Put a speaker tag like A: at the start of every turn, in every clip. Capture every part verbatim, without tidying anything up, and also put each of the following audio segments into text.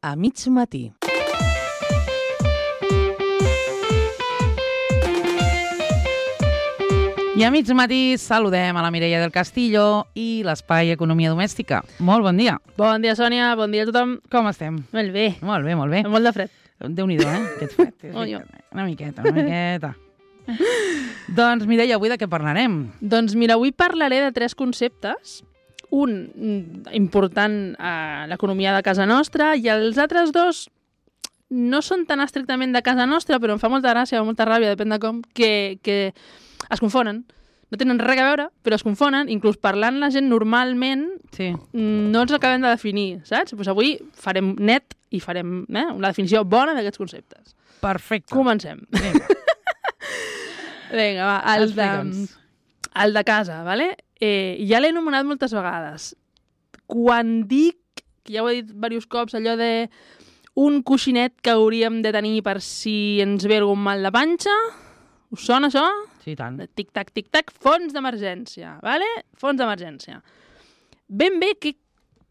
A: a mig matí. I a mig matí saludem a la Mireia del Castillo i l'Espai Economia Domèstica. Molt bon dia.
B: Bon dia, Sònia. Bon dia a tothom.
A: Com estem?
B: Molt bé.
A: Molt bé, molt bé.
B: Molt de fred.
A: Déu-n'hi-do, eh? Aquest fred.
B: Oh, jo.
A: Una miqueta, una miqueta. Doncs, Mireia, avui de què parlarem?
B: Doncs mira, avui parlaré de tres conceptes. Un important a l'economia de casa nostra i els altres dos no són tan estrictament de casa nostra, però em fa molta gràcia o molta ràbia, depèn de com, que, que es confonen. No tenen res a veure, però es confonen. Inclús parlant la gent normalment
A: Sí.
B: no els acabem de definir, saps? Pues avui farem net i farem eh, una definició bona d'aquests conceptes.
A: Perfecte.
B: Comencem.
A: Vinga.
B: Vinga, va, el de,
A: Explica'ns.
B: el de casa, vale? Eh, ja l'he anomenat moltes vegades. Quan dic, que ja ho he dit diversos cops, allò de un coixinet que hauríem de tenir per si ens ve algun mal de panxa, us sona això?
A: Sí, tant.
B: Tic-tac, tic-tac, fons d'emergència, vale? Fons d'emergència. Ben bé, què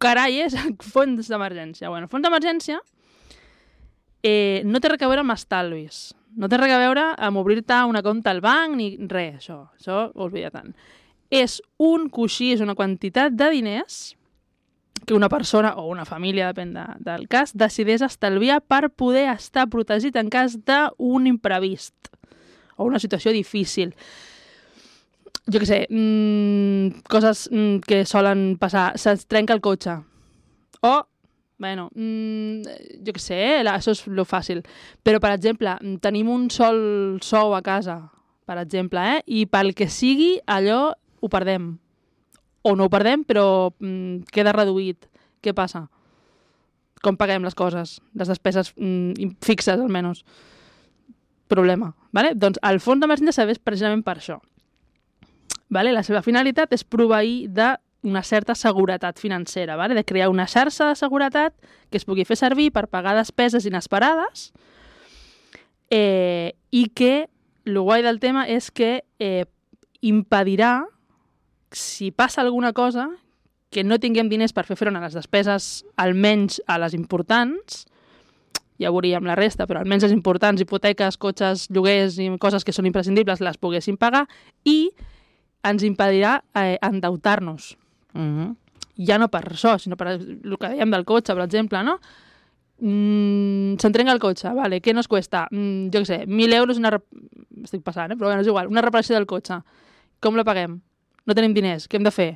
B: carai és el fons d'emergència? Bueno, el fons d'emergència eh, no té res a veure amb estalvis. No té res a veure amb obrir-te una compte al banc ni res, això. Això ho oblida tant. És un coixí, és una quantitat de diners que una persona o una família, depèn de, del cas, decideix estalviar per poder estar protegit en cas d'un imprevist o una situació difícil. Jo què sé, mmm, coses mmm, que solen passar. Se'ns trenca el cotxe. O, bueno, mmm, jo què sé, eh, això és lo fàcil. Però, per exemple, tenim un sol sou a casa, per exemple, eh, i pel que sigui, allò ho perdem. O no ho perdem, però mmm, queda reduït. Què passa? Com paguem les coses? Les despeses mmm, fixes, almenys. Problema. Vale? Doncs el fons d'emergència serveix precisament per això. Vale? La seva finalitat és proveir d'una certa seguretat financera, vale? De crear una xarxa de seguretat que es pugui fer servir per pagar despeses inesperades eh, i que el guai del tema és que eh, impedirà, si passa alguna cosa, que no tinguem diners per fer front a les despeses, almenys a les importants, ja veuríem la resta, però almenys les importants, hipoteques, cotxes, lloguers i coses que són imprescindibles, les poguéssim pagar, i ens impedirà eh, endeutar-nos.
A: Uh-huh.
B: Ja no per això, sinó per el que dèiem del cotxe, per exemple, no? Mm, se'n trenca el cotxe, vale, què nos cuesta? Mm, jo què sé, mil euros, una rep... estic passant, eh? Però bueno, és igual, una reparació del cotxe. Com la paguem? No tenim diners, què hem de fer?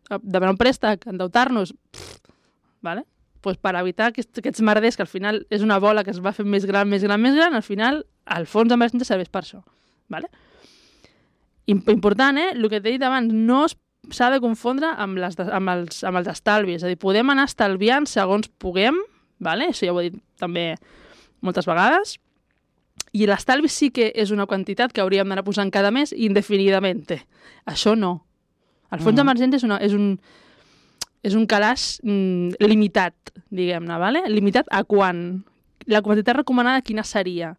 B: Demanar un préstec, endeutar-nos? Pff, vale? Pues per evitar aquests, aquests merders, que al final és una bola que es va fer més gran, més gran, més gran, al final el fons d'emergència serveix per això. Vale? Important, eh? El que t'he dit abans, no s'ha de confondre amb, les, amb, els, amb els estalvis. És a dir, podem anar estalviant segons puguem, vale? Això ja ho he dit també moltes vegades, i l'estalvi sí que és una quantitat que hauríem d'anar posant cada mes indefinidament. Això no. El fons mm. d'emergència és, una, és un... és un calaix mm, limitat, diguem-ne, vale? Limitat a quan? La quantitat recomanada quina seria?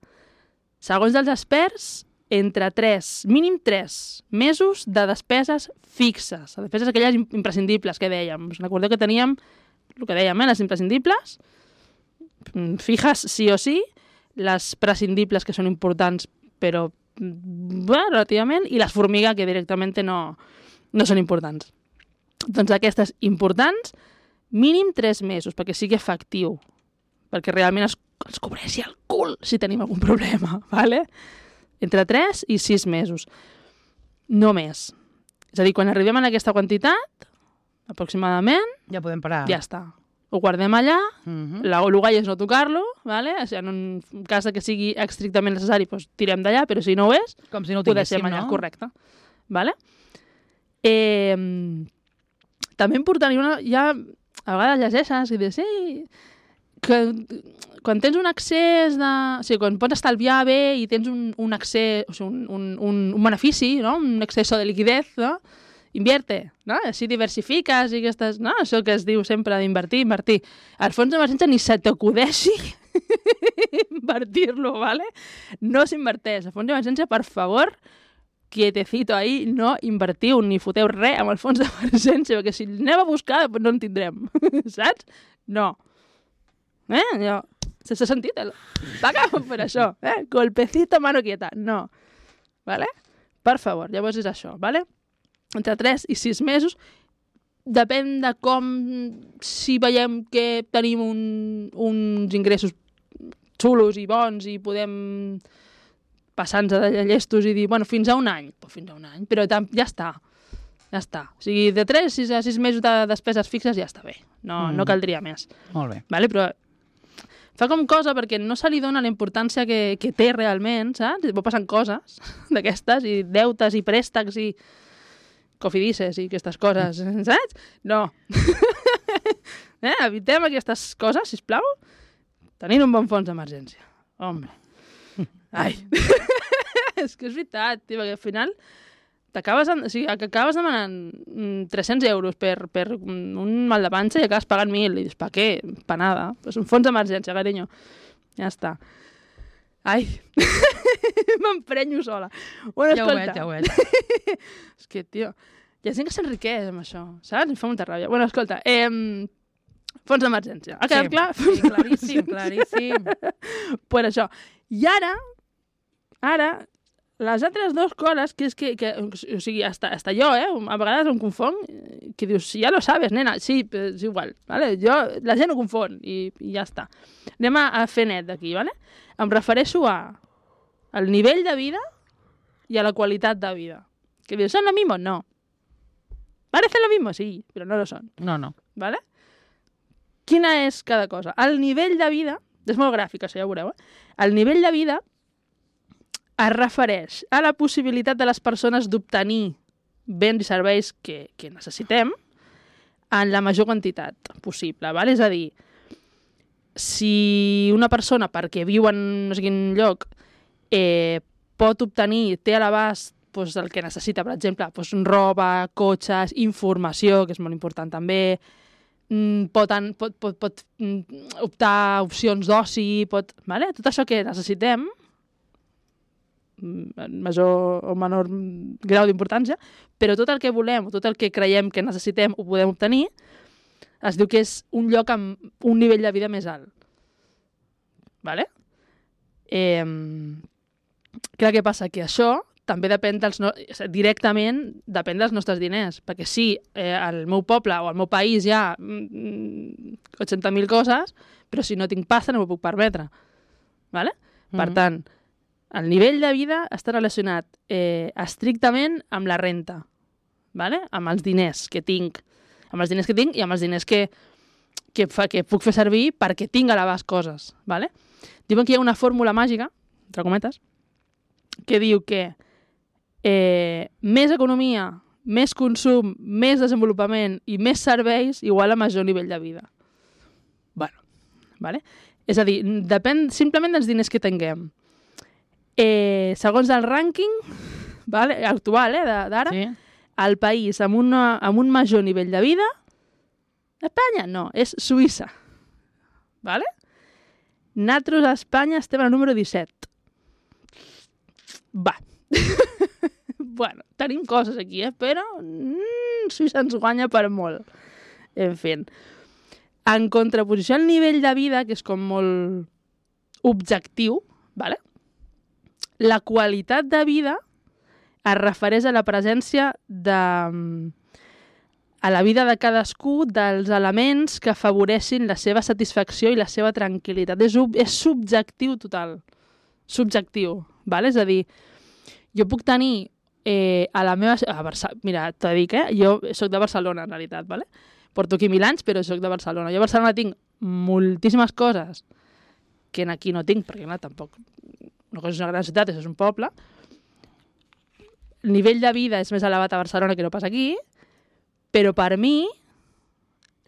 B: Segons els experts, entre tres, mínim tres mesos de despeses fixes, despeses aquelles imprescindibles que dèiem. Us recordeu que teníem el que dèiem, eh? Les imprescindibles, fijas sí o sí, les prescindibles que són importants però bueno, relativament, i les formiga que directament no, no són importants. Doncs aquestes importants, mínim tres mesos, perquè sigui efectiu, perquè realment es, es cobreixi el cul si tenim algun problema, ¿vale? Entre tres i sis mesos. No més. És a dir, quan arribem a aquesta quantitat, aproximadament,
A: ja podem parar.
B: Ja està. Ho guardem allà,
A: Uh-huh.
B: la, el guai és no tocar-lo, ¿vale? O sigui, en un cas que sigui estrictament necessari, doncs tirem d'allà, però si no ho és,
A: Com si no ho
B: ho
A: tinguéssim,
B: deixem allà,
A: no?
B: correcte. Vale? Eh, també important, una, ja a vegades llegeixes i dius, sí, que quan tens un accés de... O sigui, quan pots estalviar bé i tens un, un accés, o sigui, un, un, un, un benefici, no? Un exceso de liquidez, no? Invierte, no? Així diversifiques i aquestes... No? Això que es diu sempre d'invertir, invertir. Al fons d'emergència ni se t'acudeixi invertir-lo, ¿vale? No s'inverteix. Al fons d'emergència, per favor, quietecito ahí, no invertiu ni foteu res amb el fons d'emergència, perquè si anem a buscar, no en tindrem, saps? No. Eh? Jo, sense sentit, el... paga'm per això, eh? Golpecito, mano quieta. No. Vale? Per favor, llavors és això, vale? Entre tres i sis mesos, depèn de com, si veiem que tenim un, uns ingressos xulos i bons i podem passar-nos de llestos i dir, bueno, fins a un any, pues fins a un any, però tam, ja està, ja està. O sigui, de tres a sis mesos de despeses fixes ja està bé, no, mm. no caldria més.
A: Molt bé.
B: Vale? Però fa com cosa perquè no se li dona la importància que, que té realment, saps? I passen coses d'aquestes, i deutes, i préstecs, i cofidices, i aquestes coses, saps? No. eh? Evitem aquestes coses, sisplau. Tenint un bon fons d'emergència. Home. Ai. És que és veritat, tio, perquè al final t'acabes o sigui, acabes demanant tres-cents euros per, per un mal de panxa i acabes pagant mil. I dius, pa què? Pa nada. És un fons d'emergència, carinyo. Ja està. Ai. M'emprenyo sola. Bueno,
A: ja
B: escolta.
A: ho veig, ja ho veig.
B: És que, tio, hi ha gent que s'enriqueix amb això, saps? Em fa molta ràbia. Bueno, escolta, eh, fons d'emergència. Ha quedat
A: sí,
B: clar?
A: Sí, claríssim, claríssim.
B: Pues això. I ara, ara, les altres dues coses, que és que, que o sigui, hasta, hasta jo, eh, a vegades em confon, que dius, ja lo sabes, nena, sí, és igual, vale? Jo, la gent ho confon i, i ja està. Anem a, a fer net d'aquí, vale? Em refereixo a al nivell de vida i a la qualitat de vida. Que dius, ¿son lo mismo? No. ¿Parece lo mismo? Sí, però no lo son.
A: No, no.
B: ¿Vale? Quina és cada cosa? El nivell de vida, és molt gràfic, això ja ho veureu, eh? El nivell de vida es refereix a la possibilitat de les persones d'obtenir béns i serveis que, que necessitem en la major quantitat possible, ¿vale? És a dir, si una persona, perquè viu en no sé quin lloc, eh, pot obtenir, té a l'abast doncs, el que necessita, per exemple, doncs, roba, cotxes, informació, que és molt important també, pot, pot, pot, pot optar a opcions d'oci, pot... Vale? Tot això que necessitem, en major o menor grau d'importància, però tot el que volem, tot el que creiem que necessitem ho podem obtenir, es diu que és un lloc amb un nivell de vida més alt. Vale? Eh, clar, què passa? Que això també depèn dels no... directament depèn dels nostres diners, perquè sí, eh, al meu poble o al meu país hi ha mm, oitanta mil coses, però si no tinc pasta no m'ho puc permetre. Vale? Mm-hmm. Per tant, el nivell de vida està relacionat eh, estrictament amb la renta, vale? Amb els diners que tinc, amb els diners que tinc i amb els diners que, que, fa, que puc fer servir perquè tinc a l'abast coses. Vale? Diuen que hi ha una fórmula màgica, entre cometes, que diu que eh, més economia, més consum, més desenvolupament i més serveis igual a major nivell de vida. Bueno, vale? És a dir, depèn simplement dels diners que tinguem. Eh, segons el rànquing vale, actual eh, d'ara, sí. El país amb, una, amb un major nivell de vida, Espanya no, és Suïssa. Vale? Nosaltres a Espanya estem al número disset. Va. Bueno, tenim coses aquí, eh? Però mm, Suïssa ens guanya per molt. En fi. En contraposició al nivell de vida, que és com molt objectiu, vale? La qualitat de vida es refereix a la presència de, a la vida de cadascú dels elements que afavoreixin la seva satisfacció i la seva tranquil·litat. És, és subjectiu total. Subjectiu. Vale? És a dir, jo puc tenir eh, a la meva... A Barça... Mira, t'ho dic, eh? Jo soc de Barcelona, en realitat, vale? Porto aquí mil anys, però soc de Barcelona. Jo a Barcelona tinc moltíssimes coses que aquí no tinc, perquè clar, tampoc... No és una gran ciutat, és un poble. El nivell de vida és més elevat a Barcelona que no pas aquí, però per mi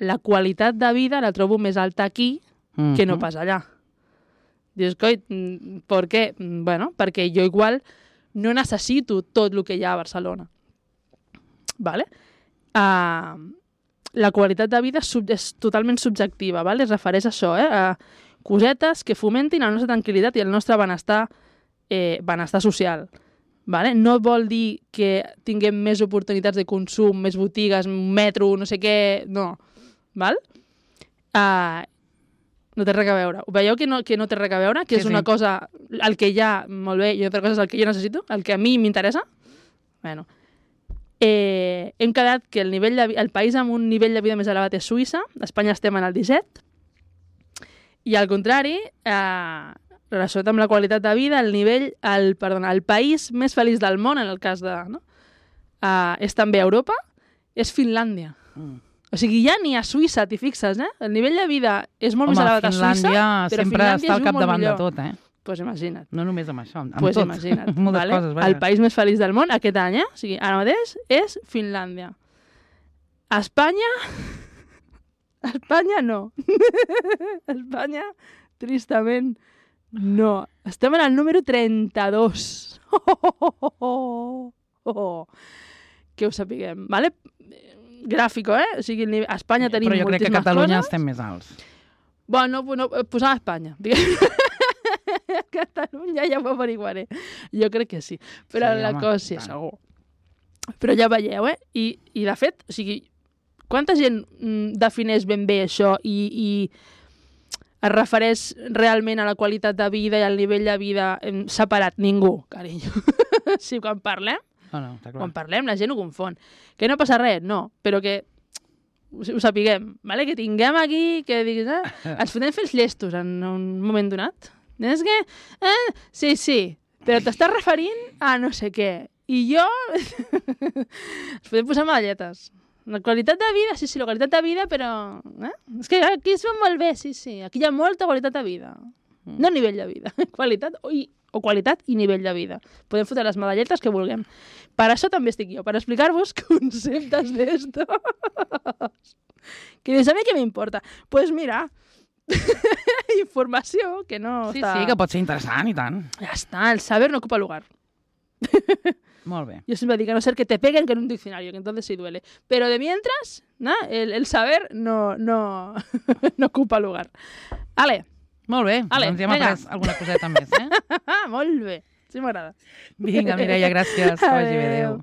B: la qualitat de vida la trobo més alta aquí mm-hmm. que no pas allà. Dius, coi, per què? Bueno, perquè jo igual no necessito tot el que hi ha a Barcelona. Vale? Uh, la qualitat de vida és, sub, és totalment subjectiva, vale? Es refereix a això, eh? A cosetes que fomentin la nostra tranquil·litat i el nostre benestar, eh, benestar social. Vale? No vol dir que tinguem més oportunitats de consum, més botigues, metro, no sé què, no. Val? Uh, No té res a veure. Veieu que no, que no té res a veure? Que
A: Sí,
B: és una
A: sí.
B: cosa el que hi ha, molt bé, i una altra cosa és el que jo necessito, el que a mi m'interessa? Bueno. Eh, hem quedat que el, nivell de, vi- el país amb un nivell de vida més elevat és Suïssa, a Espanya estem en el disset, i al contrari, eh, relacionat amb la qualitat de vida, el nivell, el, perdona, el país més feliç del món, en el cas de... No? Eh, és també Europa, és Finlàndia.
A: Mm.
B: O sigui, ja ni a Suïssa, t'hi fixes, eh? El nivell de vida és molt
A: Home,
B: més elevat a
A: Finlàndia
B: Suïssa, però
A: sempre
B: Finlàndia
A: està
B: és
A: al
B: un molt
A: capdavant de
B: millor.
A: tot, eh?
B: Doncs pues imagina't.
A: No només amb això, amb
B: Pues
A: tot.
B: imagina't.
A: Moltes
B: vale?
A: coses, vaja.
B: El país més feliç del món aquest any, eh? O sigui, ara mateix és Finlàndia. Espanya... Espanya no. Espanya, tristament, no. Estem en el número trenta-dos. Oh, oh, oh, oh, oh. Que ho sapiguem, vale? Gràfico, eh? O sigui, el nivell- a Espanya tenim
A: Però jo crec que a
B: moltíssimes
A: Catalunya
B: coses.
A: estem més alts.
B: Bueno, no, posava Espanya. Catalunya ja ho averiguaré. Jo crec que sí. Però
A: Sí,
B: la
A: home,
B: cosa sí,
A: tant.
B: segur. Però ja veieu, eh? I, i de fet, o sigui, quanta gent mm, defineix ben bé això i, i es refereix realment a la qualitat de vida i al nivell de vida em, separat? Ningú, carinyo. Sí, quan parlem,
A: No, no, està clar.
B: quan parlem la gent ho confon. Que no passa res, no, però que ho, ho sapiguem, vale? Que tinguem aquí, que diguis, eh? Ens podem fer els llestos en un moment donat. És que, eh? Sí, sí, però t'estàs referint a no sé què. I jo... Ens podem posar medalletes. La qualitat de vida, sí, sí, la qualitat de vida, però... Eh? És que aquí es veu molt bé, sí, sí. Aquí hi ha molta qualitat de vida. No nivell de vida. Qualitat o, i, o qualitat i nivell de vida. Podem fotre les medalletes que vulguem. Per això també estic jo, per explicar-vos conceptes d'estos. Que dius, a mi què m'importa? Doncs pues mira, informació que no
A: Sí,
B: està...
A: sí, que pot ser interessant i tant.
B: Ja està, el saber no ocupa lugar.
A: Molt bé.
B: Yo siempre digo, a no ser que te peguen que en un diccionario, que entonces sí duele. Pero de mientras, ¿no? el, el saber no, no, no ocupa lugar. Ale,
A: Molt bé,
B: Ale,
A: doncs ja hem
B: vinga.
A: après alguna coseta més, eh?
B: molt bé, sí m'agrada.
A: Vinga, Mireia, gràcies. Que vagi bé, adéu.